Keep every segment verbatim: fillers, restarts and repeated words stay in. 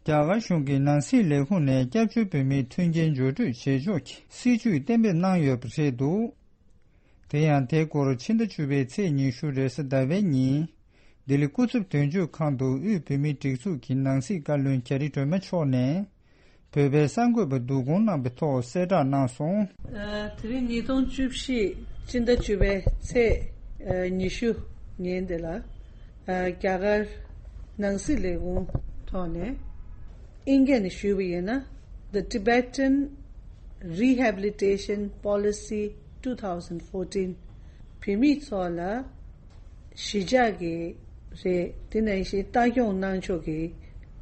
རྒྱ་གར་གཞུང་གི་ནང་སྲིད་ལས་ཁུངས་ནས་སྐྱབས་བཅོལ་བོད་མིའི་མཐུན་རྐྱེན་འགྱུར་སྤྲོད་བྱེད་ཕྱོགས་ཀྱི་སྲིད་ཇུས་གཏན་འབེབས་གནང་ཡོད་པ་རེད་འདུག་དེ་ཡང་དེའི་སྐོར་ཕྱི་ཟླ་བཅུ་པའི་ཚེས་ཉི་ཤུ་རེས་གཟའ་ཟླ་བའི་ཉིན། ལྡི་ལི་སྐུ་ཚབ་དོན་གཅོད་ཁང་དུ་དབུས་བོད་མིའི་སྒྲིག་འཛུགས་ཀྱི་ནང་སྲིད་བཀའ་བློན་རྒྱ་རི་སྒྲོལ་མ་མཆོག་ནས། བོད་པའི་གསར་འགོད་པ་བསྡུ་སྐོང་གནང་བའི་ཐོག་གསལ་བསྒྲགས་གནང་སོང་། ཨ། དེ་རིང་ཉིས་སྟོང་བཅུ་བཞི་སྤྱི་ཟླ་བཅུ་པའི་ཚེས་ཨ་ཉི་ཤུ་ཉིན་དེ་ལ། ཨ། རྒྱ་གར་ནང་སྲིད་ལས་ཁུངས་ཐོག་ནས། ཨིན་སྐད་ནས་ཞུས་པ་ཡིན་ན། The Tibetan Rehabilitation Policy two thousand fourteen. བོད་མི་ཚོ་ལ་གཞིས་ཆགས་ཀྱི་རེད། དེ་ནང་བཞིན་ལྟ་སྐྱོང་གནང་ཕྱོགས་ཀྱི་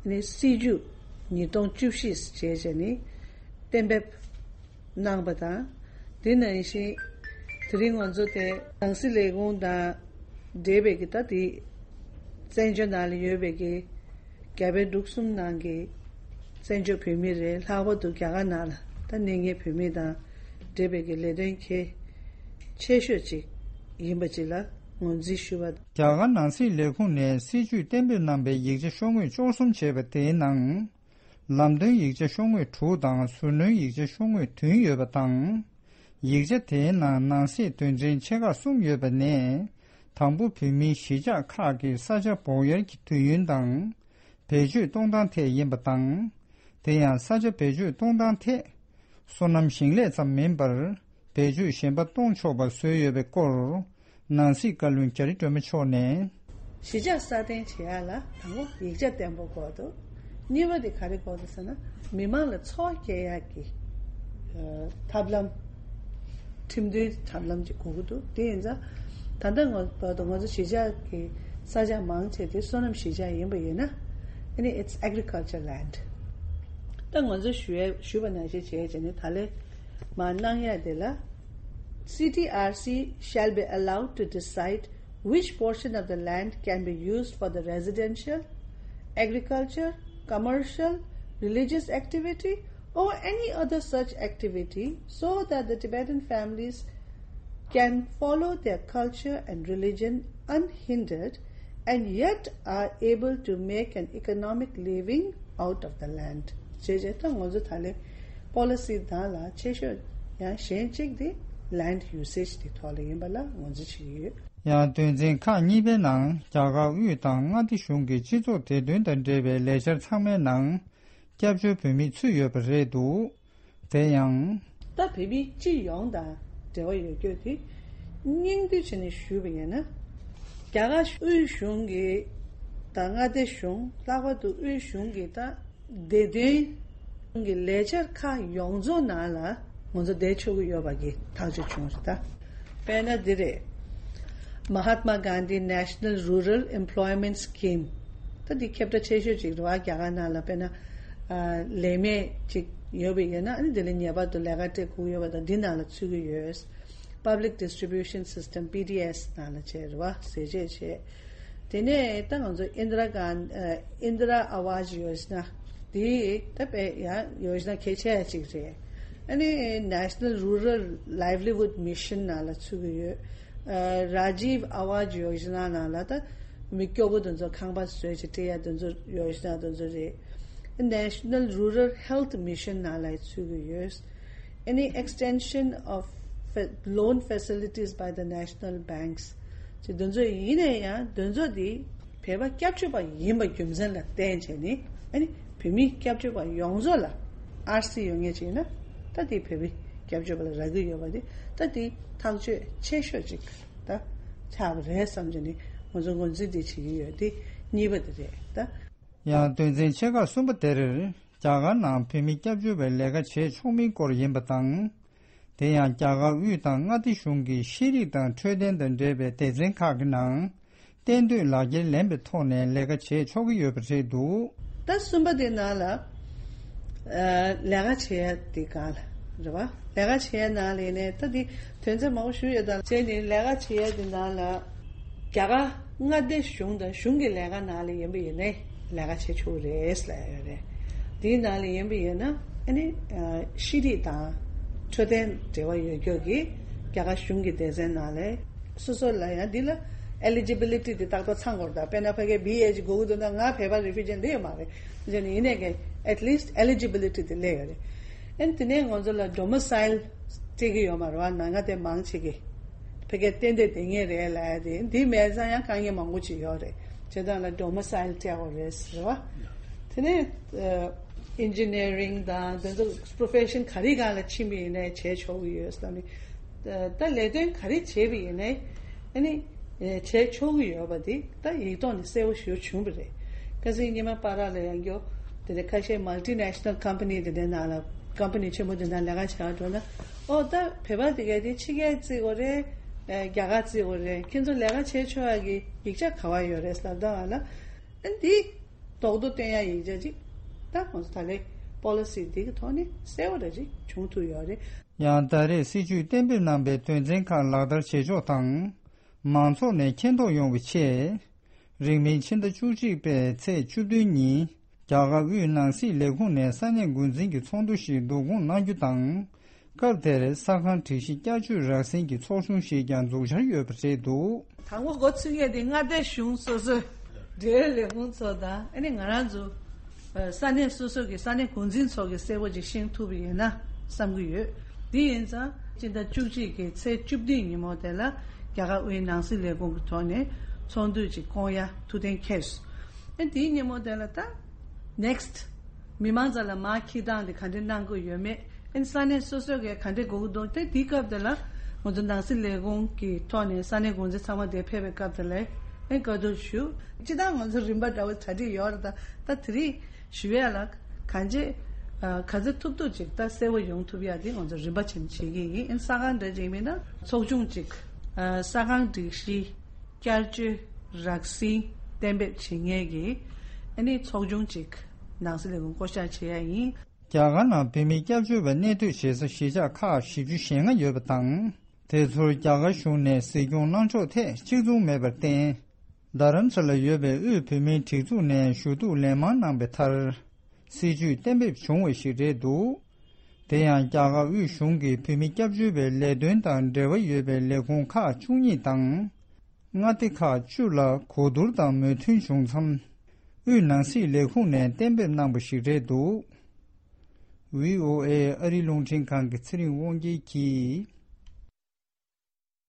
ནི་སྲིད་ཇུས་ཉིས་སྟོང་བཅུ་བཞི་ཞེས་བྱས་ནས་གཏན་འབེབས་གནང་པ་དང་། དེ་ནང་བཞིན་དེ་རིང་ང་ཚོ་དེ་ནང་སྲིད་ལས་ཁུངས་དང་འབྲེལ་བའི་གི་ད་དེ་བཙན་བྱོལ་ནང་ལ་ཡོད་པའི་གི་རྒྱ་བལ་འབྲུག་གསུམ་ནང་གི་བཙན་བྱོལ་བོད་མི་རེད། ལྷག་པར་དུ་རྒྱ་གར་ནང་ལ་ད་གནས་ངེས་བོད་མི་དང་འབྲེལ་བའི་གི་ལས་དོན་གལ་ཆེ་ཤོས་ཅིག་ཡིན་པ་ཅིག་ལ་ངོས་འཛིན་ཞུ་བ། རྒྱ་གར་ནང་སྲིད་ལས་ཁུངས་ནས་སྲིད་ཇུས་གཏན་འབེབས་གནང་པའི་ཡིག་ཆ་ཤོག་ངོས་བཅུ་གསུམ་བྱས་པ་དེའི་ནང་། ལམ་སྟོན་ཡིག་ཆ་ཤོག་ངོས་དྲུག་དང་ཟུར་སྣོན་ཡིག་ཆ་ཤོག་ངོས་བདུན་ཡོད་པ་དང་། ཡིག་ཆ་དེའི་ནང་ནང་གསེས་དོན་ཚན་ཆེ་ཁག་གསུམ་ཡོད་པ་ནས། དང་པོ་བོད་མིའི་གཞིས་ཆགས་ཁག་གི་ས་ཆ་སྦོག་གཡར་གྱི་དུས་ཡུན་དང་། བེད་སྤྱོད་གཏོང་སྟངས་ཐད་ཡིན་པ་དང་། དེ་ཡང་ས་ཆ་བེད་སྤྱོད་གཏོང་སྟངས་ཐད། སོ་ནམ་ཞིང་ལས་ཙམ་མིན་པར། བེད་སྤྱོད་གཞན་པ་གཏོང་ཆོག་པ་བཟོས་ཡོད་པའི་སྐོར། ནང་སྲིད་བཀའ་བློན་རྒྱ་རི་སྒྲོལ་མ་མཆོག་ནས། གཞིས་ཆགས་སྲ་བརྟན་བྱེད་ཡག་ལ་དང་པོ་ཡིག་ཆ་བརྟན་པོ་དགོས་འདུག་གཉིས་པ་དེ་ག་རེ་དགོས་འདུག་ཟེར་ན། མི་མང་ལ་འཚོ་བ་སྐྱེལ་ཡག་གི་ཨ་ཐབས་ལམ། ཁྲིམས་མཐུན་ཐབས་ལམ་ཅིག་དགོས་ཀྱི་འདུག་དེ་ཡིན་ཙང་། ད་ལྟ་ང་བར་དུ་ང་ཚོ་གཞིས་ཆགས་ཀྱི་ས་ཆ་མང་ཆེ་དེ་སོ་ནམ་གཞིས་ཆགས་ཡིན་པ་ཡིན་ན། ཨ་ནི་it's agriculture land. ད་ང་ཚོ་ཞུ་ཡ་ཞུས་པ་ནང་བཞིན་བྱས་བྱས་ནས་ད་ལས་མར་གནང་ཡ་དེ་ལ། C T R C shall be allowed to decide which portion of the land can be used for the residential, agriculture, commercial, religious activity, or any other such activity, so that the Tibetan families can follow their culture and religion unhindered and yet are able to make an economic living out of the land. ཅེས་བྱས་ད་ང་ཚོ་ད་ལས་པོ་ལི་སི་དང་ལ་ཆེ་ཤོས་ཡང་གཞན་གཅིག་དེ་land usage དེ་ཐོག་ལ་ཡིན་པ་ལ་ངོས་འཛིན་བྱེད་ཀྱི་ཡོད། ཡང་དོན་ཚན་ཁག་གཉིས་པའི་ནང་རྒྱ་གར་དབུས་དང་མངའ་སྡེ་གཞུང་གི་སྤྱི་ཚོགས་བདེ་དོན་དང་འབྲེལ་བའི་ལས་འཆར་ཚང་མའི་ནང་སྐྱབས་བཅོལ་བོད་མི་ཚུད་ཡོད་པ་རེད་འདུག་དེ་ཡང་། ད་བོད་མི་སྤྱི་ཡོངས་དང་འབྲེལ་བ་ཡོད་རྒྱུ་དེ་སྙིང་བསྡུས་བྱས་ནས་ཞུས་པ་ཡིན་ན། རྒྱ་གར་དབུས་གཞུང་གི་དང་མངའ་སྡེ་གཞུང་ལྷག་པར་དུ་དབུས་གཞུང་གི་ད་བདེ་དོན་གྱི་ལས་འཆར་ཁག་ཡོངས་རྫོགས་ནང་ལ་ང་ཚོ་བསྡད་ཆོག་གི་ཡོད་པ་གི་ཐག་གཅོད་བྱུང་རེད་ད། དཔེར་ན་འདི་རེད། Mahatma Gandhi National Rural Employment Scheme. ད་འདི་ཁྱབ་བསྒྲགས་ཆེ་ཤོས་ཅིག་རེད་བ། རྒྱ་གར་ནང་ལ་དཔེར་ན་ཨ་ལས་མེད་ཅིག་ཡོད་པ་ཡིན་ན། ཨ་ནི་འདི་ལ་ངེས་པར་དུ་ལས་ཀ་སྤྲད་དགོས་ཡོད་པ་དང་། འདི་ནང་ལ་ཚུད་ཀྱི་ཡོད། Public Distribution System, P D S ནང་ལ་བྱས་རེད་བ། ཟས་བཅད་བྱས། དེ་ནས་ད་ང་ཚོ་ཨིན་དྲ་གྷན་ཨ་ཨིན་དྲ་ཨ་ཝཱ་ཇི་ཡོ་ཇི་ན། དེ་ད་དཔེ་ཡང་ཡོ་ཇི་ན་གལ་ཆེ་ཡ་གཅིག་རེད། ཨ་ནི་National Rural Livelihood Mission ནང་ལ་ཚུད་ཀྱི་ཡོད། ཨ་Rajiv Awas Yojana ནང་ལ་ད་མི་སྐྱོ་པོ་དེ་ཚོ་ཁང་པ་བཟོས་བྱས་སྤྲད་ཡ་དེ་ཚོ་ཡོ་ཇི་ན་དེ་ཚོ་རེད། National Rural Health Mission ནང་ལ་ཚུད་ཀྱི་ཡོད། Any extension of fa- loan facilities by the national banks. ཅེས་དེ་ཚོ་ཡིན་ན་ཡང་དེ་ཚོ་དེ་བོད་པ་སྐྱབས་བཅོལ་བ་ཡིན་པ་རྒྱུ་མཚན་ལ་བརྟེན་བྱས་ནས། ཨ་ནི་བོད་མི་སྐྱབས་བཅོལ་བ་ཡོངས་རྫོགས་ལ་ཨར་སི་ཡོད་མཁན་ཅིག་ཡིན་ན། ད་དེ་བོད་མི་སྐྱབས་བཅོལ་བ་ལ་རག་གི་ཡོད་པ་དེ། ད་དེ་ཐག་གཅོད་ཆེ་ཤོས་ཅིག་ད་ཆགས་པ་རེད་བསམ་བྱས་ནས་ང་ཚོ་ངོས་འཛིན་དེ་བྱེད་ཀྱི་ཡོད། དེ་གཉིས་པ་དེ་རེད་ད། ཡང་དོན་ཚན་ཆེ་ཁག་གསུམ་པ་དེར། རྒྱ་གར་ནང་བོད་མི་སྐྱབས་བཅོལ་བའི་ལས་ཀ་བྱེད་ཆོག་མིན་སྐོར་ཡིན་པ་དང་། དེ་ཡང་རྒྱ་གར་དབུས་དང་མངའ་སྡེ་གཞུང་གི་ཤེས་རིག་དང་འཕྲོད་བསྟེན་དང་འབྲེལ་བའི་སྡེ་ཚན་ཁག་གི་ནང་གཏན་སྡོད་ལག་འཁྱེར་ལེན་པའི་ཐོག་ནས་ལས་ཀ་བྱེད་ཆོག་གི་ཡོད་པ་རེད་འདུག་ད་གསུམ་པ་དེ་ནང་ལ་ཨ་ལས་ཀ་བྱེད་ཡ་དེ་གང་ལ་རེད་བ། ལས་ཀ་བྱེད་ཡ་ནང་ལ་ཡིན་ནའི་ད་དེ་དོན་ཚན་མང་པོ་ཞུ་ཡོད། ད་བྱས་ནས་ལས་ཀ་བྱེད་ཡ་དེ་ནང་ལ། རྒྱ་གར་མངའ་སྡེ་གཞུང་དང་གཞུང་གི་ལས་ཀ་ནང་ལ་ཡིན་པ་ཡིན་ནའི་ལས་ཀ་བྱེད་ཆོག་རེད་ལབ་ཡོད་རེད། དེའི་ནང་ལ་ཡིན་པ་ཡིན་ན་ཨ་ནི་ཤེས་རིག་དང་འཕྲོད་བསྟེན་འབྲེལ་བ་ཡོད་རྒྱུ་གི་རྒྱ་གར་གཞུང་གི་སྡེ་ཚན་ནང་ལ་སོ་སོ་ལ་ཡང་འདི་ལ་ eligibility དེ་ཏག་ཏག་ཚང་དགོས་རེད། ད་དཔེར་ན་ཕ་གིར་བྷི་ཨེ་ཅིག་དགོས་ཀྱི་འདུག་ན་ང་བོད་པ་refugee་སླེབས་ཡོད་མ་རེད། ཡིན་ནའི་ཡིན་ནའི་གི་at least eligibility དེ་སླེབས་ཡོད་རེད། ཨན་དེ་ནས་ང་ཚོ་ལ་domicile སྤྲད་ཀྱི་ཡོད་མ་རེད་བ། ནང་ང་དེ་མང་ཆེ་གི་ཕ་གིར་གཏན་བསྡད་བསྡད་མཁན་རེད་ལབ་ཡ་དེ། འདི་མེད་ཙང་ཡང་དཀའ་ངལ་མང་པོ་ཅིག་ཡོད་རེད། བྱས་ཙང་ལ་domicile སྤྲད་དགོས་རེད་ཟེར་བ། དེ་ནས་ཨ་engineering དང་དེ་ཚོ་profession ག་རེ་སྒང་ལ་ཕྱིན་པ་ཡིན་ནའི་བྱས་ཆོག་གི་ཡོད་ཟེར་ནས། ད་ལས་དོན་ག་རེ་བྱས་པ་ཡིན་ནའི་ཨ་ནི་བྱས་ཆོག་གི་ཡོད་པ་དེ་ད་ཡིག་ཐོག་ནས་གསལ་པོ་ཞེ་པོ་བྱུང་བ་རེད། ཁ་སང་ཉི་མ་པར་ལ་ཡང་འགྱོ། དེ་ནས་ཁ་ཤས་multinational company དེ་འདྲའི་ནང་ལ་company ཆེན་པོ་དེ་འདྲ་ལས་ཀ་བྱེད་འགྲོ་ན། ཨོ་ད་བོད་པ་དེ་ག་དེ་ཕྱི་རྒྱལ་བརྩི་དགོས་རེད། རྒྱ་གར་བརྩི་དགོས་རེད། ཁྱེད་ཚོ་ལས་ཀ་བྱེད་ཆོག་ཡ་གི་ཡིག་ཆ་ག་བ་ཡོད་རེད་ལབ་ད་བ་ལ། ཨ་འདི་རྡོག་རྡོག་སྟོན་ཡ་ཡིག་ཆ་ཅིག་ད་ང་ཚོ་ད་ལས་policy འདི་གི་ཐོག་ནས་གསལ་པོ་ར་ཅིག་བྱུང་ཐུབ་ཡོད་རེད། ཡང་ད་རེས་སྲིད་ཇུས་གཏན་འབེབས་གནང་པའི་དོན་ཚན་ཁག་ལག་བསྟར་བྱེད་ཕྱོགས་དང་། མང་ཚོགས་ནས་མཁྱེན་རྟོགས་ཡོང་བའི་ཆེད། རིང་མིན་ཕྱི་ཟླ་བཅུ་གཅིག་པའི་ཚེས་བཅུ་བདུན་ཉིན་རྒྱ་གར་དབུས་ནང་སྲིད་ལས་ཁུངས་ནས་ས་གནས་འགོ་འཛིན་གྱི་ཚོགས་འདུ་ཞིག་བསྡུ་སྐོང་གནང་རྒྱུ་དང་། སྐབས་དེར་ས་ཁང་སྒྲིག་གཞི་བསྐྱར་བཅོས་རགས་ཟིན་གྱི་ཚོགས་ཆུང་ཞིག་ཀྱང་འཛུགས་འཆར་ཡོད་པ་རེད་འདུག། དང་པོ་འགོ་ཚུགས་མཁན་དེ་མངའ་སྡེ་གཞུང་སོ་སོའི་འབྲེལ་ཡོད་ལས་ཁུངས་ཚོ་དང་། ཨ་ནི་ང་རང་ཚོ་ས་གནས་སོ་སོ་གི་ས་གནས་འགོ་འཛིན་ཚོ་གིས་གསལ་པོ་ཅིག་ཤེས་ཐུབ་པ་ཡིན་ན་བསམ་གྱི་ཡོད། དེ་ཡིན་ཙང་སྤྱི་ཟླ་བཅུ་གཅིག་གི་ཚེས་བཅུ་བདུན་ཉིན་མོ་དེ་ལ་རྒྱ་གར་དབུས་ནང་སྲིད་ལས་ཁུངས་ཀྱི་ཐོག་ནས་ཚོགས་འདུ་ཅིག་སྐོང་ཡ་ཐུགས་གཏན་འཁེལ་སོང་། ཨ་དེའི་ཉིན་མོ་དེ་ལ་ད་next མི་མང་ཚོ་ལ་མར་འཁྱེར་སྟངས་དེ་ག་འདྲ་གནང་དགོས་ཡོད་མེད། ཨ་ནི་ས་གནས་སོ་སོ་གིས་ག་འདྲ་དགོས་ཀྱི་འདུག་དེ་དེའི་སྐབས་དེ་ལ་ང་ཚོ་ནང་སྲིད་ལས་ཁུངས་ཀྱི་ཐོག་ནས་ས་གནས་འགོ་འཛིན་ཚང་མ་དེ་ཕེབས་པའི་སྐབས་དེ་ལ་ཨ་ནི་བཀའ་བསྡུར་ཞུ། སྤྱིར་བཏང་ང་ཚོ་རིམ་པ་འདྲ་བོ་གྲ་སྒྲིག་ཡོད་རེད། ད་ད་དེ་རིང་ཞུ་ཡ་ལ་གང་ཅི་ག་ཚོད་ཐུབ་ཐུབ་ཅིག་ད་གསལ་པོ་ཡོང་ཐུབ་ཡ་དེ་ང་ཚོ་རིམ་པ་བྱས་ནས་བྱེད་ཀྱི་ཡིན། ཨ་ནི་ས་ཁང་འདྲ་ཅིག་མིན་ན་ཚོགས་ཆུང་ཅིག་ས་ཁང་སྒྲིག་གཞི་བསྐྱར་བཅོས་རགས་ཟིན་གཏན་འབེབས་བྱེད་མཁན་གྱི་ཨ་ནི་ཚོགས་ཆུང་ཅིག་ནང་སྲིད་ལས་ཁུངས་བསྐོ་བཞག་བྱེད་ཡ་ཡིན། རྒྱ་གར་ནང་བོད་མི་སྐྱབས་བཅོལ་བ་གནས་སྡོད་བྱེད་ས་གཞིས་ཆགས་ཁག་བཞི་བཅུ་ཞེ་ལྔ་ཡོད་པ་དང་། དེ་ཚོར་རྒྱ་གར་གཞུང་ནས་གཟིགས་སྐྱོང་གནང་ཕྱོགས་ཐད་གཅིག་མཚུངས་མེད་པར་བརྟེན། རྡ་རམ་ས་ལར་ཡོད་པའི་དབུས་བོད་མིའི་སྒྲིག་འཛུགས་ནས་ཞུ་གཏུག་ལན་མང་གནང་པའི་མཐར། སྲིད་ཇུས་གཏན་འབེབས་བྱུང་བ་ཞིག་རེད་འདུག། དེ་ཡང་རྒྱ་གར་དབུས་གཞུང་གིས་བོད་མི་སྐྱབས་བཅོལ་བའི་ལས་དོན་དང་འབྲེལ་བ་ཡོད་པའི་ལས་ཁུངས་ཁག་བཅུ་གཉིས་དང་། མངའ་སྡེ་ཁག་བཅུ་ལ་གོ་བསྡུར་དང་མོས་མཐུན་བྱུང་མཚམས། དབུས་ནང་སྲིད་ལས་ཁུངས་ནས་གཏན་འབེབས་གནང་པ་ཞིག་རེད་འདུག། བྷི་ཨོ་ཨེ་ཨ་རིའི་རླུང་འཕྲིན་ཁང་གི་ཚེ་རིང་དབང་རྒྱལ་གྱིས།